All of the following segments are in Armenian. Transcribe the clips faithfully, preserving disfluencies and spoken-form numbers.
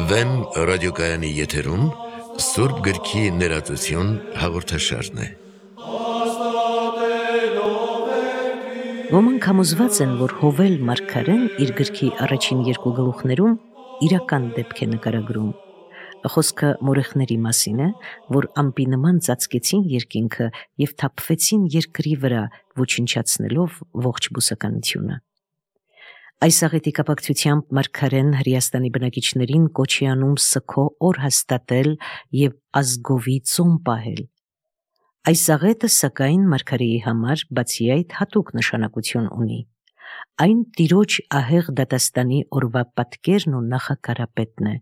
Վեմ ռադիոկայանի եթերում Սուրբ գրքի ներածություն հաղորդաշարն է։ Ոմանք համոզված են, որ Հովել մարգարեն իր գրքի առաջին երկու գլուխներում իրական դեպք է նկարագրում։ Խոսքը մորեխների մասին է, որ ամպի նման ծածկեցին երկինքը և թափվեցին երկրի վրա, ոչնչացնելով ողջ բուսականությունը։ Այս աղետի կապակցությամբ մարգարեն Հրեաստանի բնակիչներին կոչ է անում սգո օր հաստատել և ազգովի ծոմ պահել։ Այս աղետը, սակայն, մարգարեի համար բացի այդ հատուկ նշանակություն ունի։ Այն Տիրոջ ահեղ դատաստանի օրվա պատկերն ու նախակարապետն է,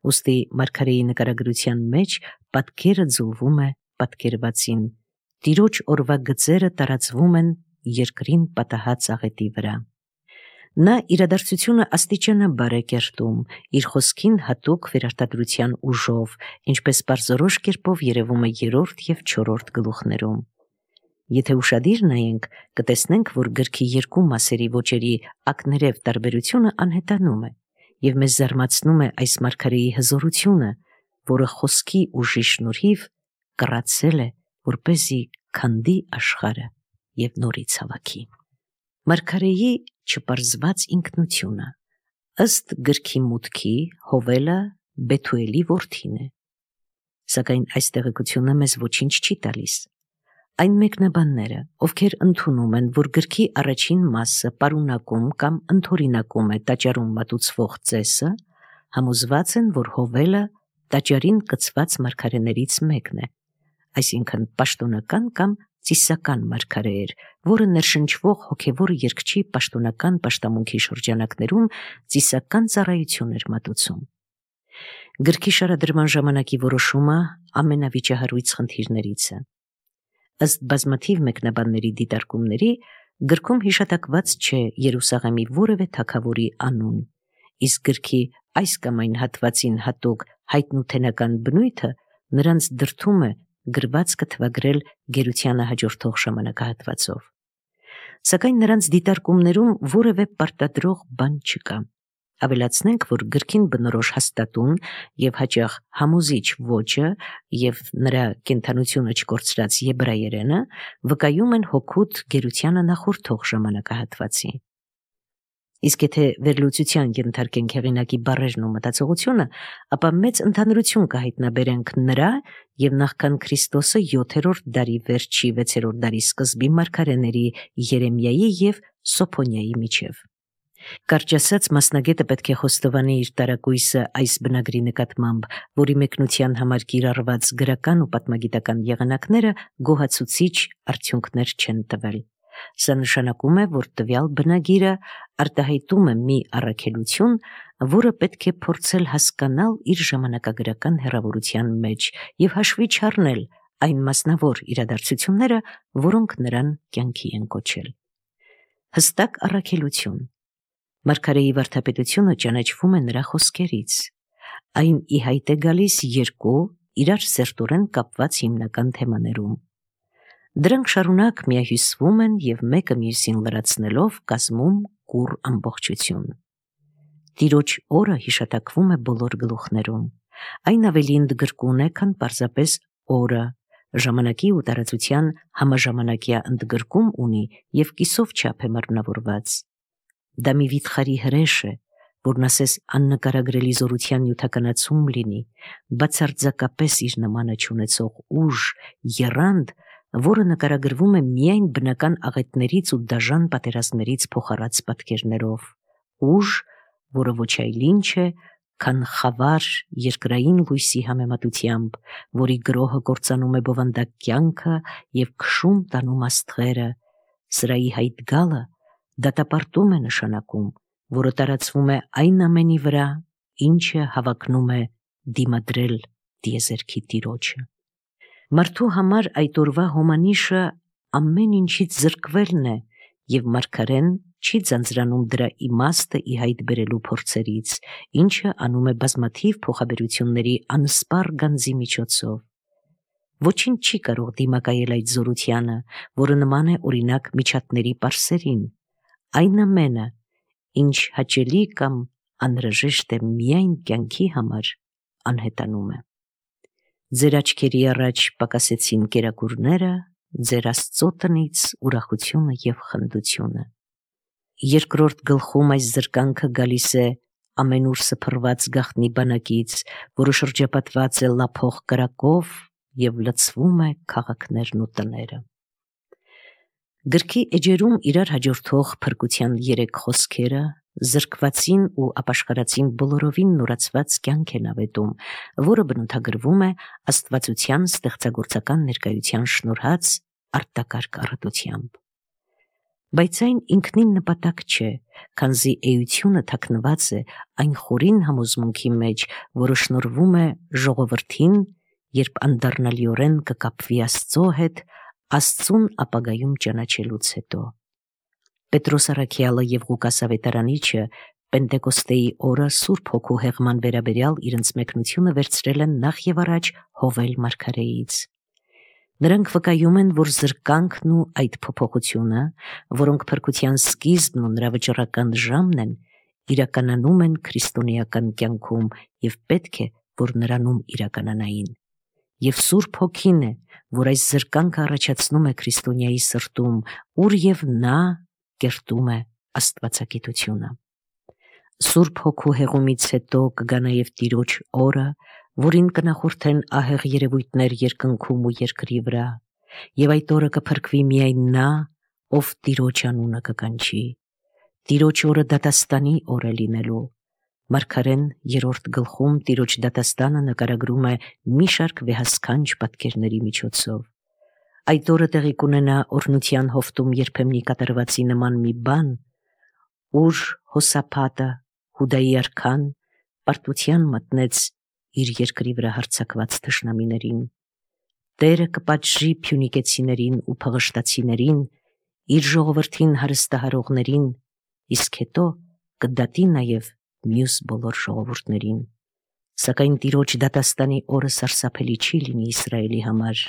ուստի մարգարեի նկարագրության մեջ պատկերը ձուլվում է պատկերվածին, Տիրոջ օրվա գծերը տարածվում են երկրին պատահած աղետի վրա։ Նա իրադարձությունը աստիճանաբար է կերտում, իր խոսքին հատուկ վերարտադրության ուժով, ինչպես պարզորոշ կերպով երևում է երրորդ և չորրորդ գլուխներում։ Եթե ուշադիր նայենք, կտեսնենք, որ գրքի երկու մասերի ոճերի ակներև տարբերությունը անհետանում է, և մեզ զարմացնում է այս մարգարեի հզորությունը, որը խոսքի ուժի շնորհիվ կռացել է, որպեսզի քանդի աշխարհը և նորից հավաքի։ Մարգարեի չպարզված ինքնությունը։ Ըստ գրքի մուտքի, Հովելը Բեթուելի որդին է, սակայն այս տեղեկությունը մեզ ոչինչ չի տալիս։ Այն մեկնաբանները, ովքեր ընդունում են, որ գրքի առաջին մասը պարունակում կամ ընդօրինակում է տաճարում մատուցվող ծեսը, համոզված են, որ Հովելը տաճարին կցված մարգարեներից մեկն է, այսինքն պաշտոնական կամ ծիսական մարգարե էր, որը ներշնչվող հոգևոր երգչի պաշտոնական պաշտամունքի շրջանակներում ծիսական ծառայություն էր մատուցում։ Գրքի շարադրման ժամանակի որոշումը ամենավիճահարույց խնդիրներից է։ Ըստ բազմաթիվ մեկնաբանների դիտարկումների, գրքում հիշատակված չէ Երուսաղեմի որևէ թագավորի անուն, իսկ գրքի այս կամ այն հատվածին հատուկ հայտնութենական բնույթը նրանց դրդում է գրվածքը թվագրել գերությանը հաջորդող ժամանակահատվածով։ Սակայն նրանց դիտարկումներում որևէ պարտադրող բան չկա։ Ավելացնենք, որ գրքին բնորոշ հաստատուն և հաճախ համոզիչ ոճը և նրա կենդանությունը չկորցրած եբրայերենը վկայում են հօգուտ գերությանը նախորդող ժամանակահատվածի։ Իսկ եթե վերլուծության ենթարկենք հեղինակի բառերն ու մտածողությունը, ապա մեծ ընդհանրություն կհայտնաբերենք նրա և նախքան Քրիստոսը յոթերորդ դարի վերջի վեցերորդ դարի սկզբի մարգարեների Երեմիայի և Սոփոնիայի միջև։ Կարճ ասած, մասնագետը պետք է խոստովանի իր տարակույսը այս բնագրի նկատմամբ, որի մեկնության համար կիրառված գրական ու պատմագիտական եղանակները գոհացուցիչ արդյունքներ չեն տվել։ Սա նշանակում է, որ տվյալ բնագիրը արտահայտում է մի առաքելություն, որը պետք է փորձել հասկանալ իր ժամանակագրական հեռավորության մեջ և հաշվի չառնել այն մասնավոր իրադարձությունները, որոնք նրան կյանքի են կոչել։ Հստակ առաքելություն։ Մարգարեի վարդապետությունը ճանաչվում է նրա խոսքերից։ Այն ի հայտ է գալիս երկու իրար սերտորեն կապված հիմնական թեմաներում։ Դրանք շարունակ միահյուսվում են և մեկը մյուսին լրացնելով կազմում կուռ ամբողջություն։ Տիրոջ օրը հիշատակվում է բոլոր գլուխներում։ Այն ավելի ընդգրկուն է, քան պարզապես օրը, ժամանակի ու տարածության համաժամանակյա ընդգրկում ունի և կիսով չափ է մարմնավորված։ Դա մի վիթխարի հրեշ է, որն ասես աննկարագրելի զորության նյութականացում լինի, բացարձակապես իր նմանը չունեցող ուժ, եռանդ, որը նկարագրվում է միայն բնական աղետներից ու դաժան պատերազմներից փոխառած պատկերներով, ուժ, որը ոչ այլ ինչ է, քան խավար երկրային լույսի համեմատությամբ, որի գրոհը կործանում է բովանդակ կյանքը և քշում տանում աստղերը, սրայի հայտ գալը դատապարտում է նշանակում, որը տարածվում է այն ամենի վրա, ինչը հավակնում է դիմադրել տիեզերքի Տիրոջը։ Մարդու համար այդ օրվա հոմանիշը ամեն ինչից զրկվելն է, և մարգարեն չի ձանձրանում դրա իմաստը ի հայտ բերելու փորձերից, ինչը անում է բազմաթիվ փոխաբերությունների անսպառ գանձի միջոցով։ Ոչինչ չի կարող դիմակայել այդ զորությանը, որը նման է օրինակ միջատների պարսերին, այն ամենը, ինչ հաճելի կամ անհրաժեշտ է միայն կյանքի համար, անհետանում է։ Ձեր աչքերի առաջ պակասեցին կերակուրները, ձեր Աստծո տնից ուրախությունը եւ խնդությունը։ Երկրորդ գլխում այս զրկանքը գալիս է ամենուր սփռված գաղտնի բանակից, որը շրջապատված է լափող կրակով եւ լցվում է քաղաքներն ու տները։ Գրքի էջերում իրար հաջորդող փրկության երեք խոսքերը զրկվածին ու ապաշխարածին բոլորովին նորացված կյանք են ավետում, որը բնութագրվում է աստվածության ստեղծագործական ներկայության շնորհած արտակարգ առատությամբ։ Բայց այն ինքնին նպատակ չէ, քանզի էությունը թաքնված է այն խորին համոզմունքի մեջ, որը շնորհվում է ժողովրդին, երբ անդառնալիորեն կկապվի Աստծո հետ, Աստծուն ապագայում ճանաչելուց հետո։ Պետրոս առաքյալը եւ Ղուկաս ավետարանիչը Պենտեկոստեի օրը Սուրբ Հոգու հեղման վերաբերյալ իրենց մեկնությունը վերցրել են նախ եւ առաջ Հովել մարգարեից։ Նրանք վկայում են, որ զրկանքն ու այդ փոփոխությունը, որոնք փրկության սկիզբն ու նրա վճռական ժամն են, իրականանում են քրիստոնեական կյանքում եւ պետք է, որ նրանում իրականանային։ Եվ Սուրբ Հոգին է, որ այս զրկանքը առաջացնում է քրիստոնյայի սրտում, ուր եւ նա կերտում է աստվածագիտությունը։ Սուրբ Հոգու հեղումից հետո կգա նաև Տիրոջ օրը, որին կնախորդեն ահեղ երևույթներ երկնքում ու երկրի վրա, եւ այդ օրը կփրկվի միայն նա, ով Տիրոջ անունը կկանչի։ Տիրոջ օրը դատաստանի օր է լինելու։ Մարգարեն երրորդ գլխում Տիրոջ դատաստանը նկարագրում է մի շարք վեհասքանչ պատկերների միջոցով։ Այդ օրը տեղի կունենա օրհնության հովտում երբեմնի կատարվածի նման մի բան, ուր Հոսափատը, Հուդայի արքան, պարտության մտնեց իր երկրի վրա հարձակված թշնամիներին։ Տերը կպատժի փյունիկեցիներին ու փղշտացիներին, իր ժողովրդին հարստահարողներին, իսկ հետո կդատի նաև մյուս բոլոր ժողովուրդներին։ Սակայն Տիրոջ դատաստանի օրը սարսափելի չի լինի Իսրայելի համար։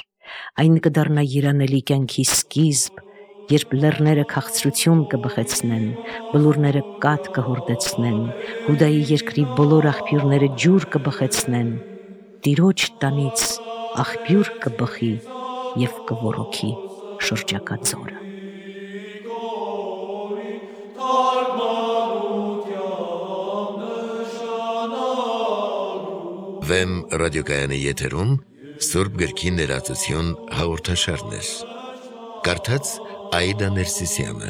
Այն կդառնա երանելի կյանքի սկիզբ, երբ լեռները քաղցրություն կբխեցնեն, բլուրները կաթ կհորդեցնեն, Հուդայի երկրի բոլոր աղբյուրները ջուր կբխեցնեն, Տիրոջ տանից աղբյուր կբխի և կոռոքի շրջակա ձորը։ Վեմ ռադիոկայանի եթերում Սուրբ գրքի ներածություն հաղորդաշարներ։ Կարդաց Աիդա Ներսիսյանը։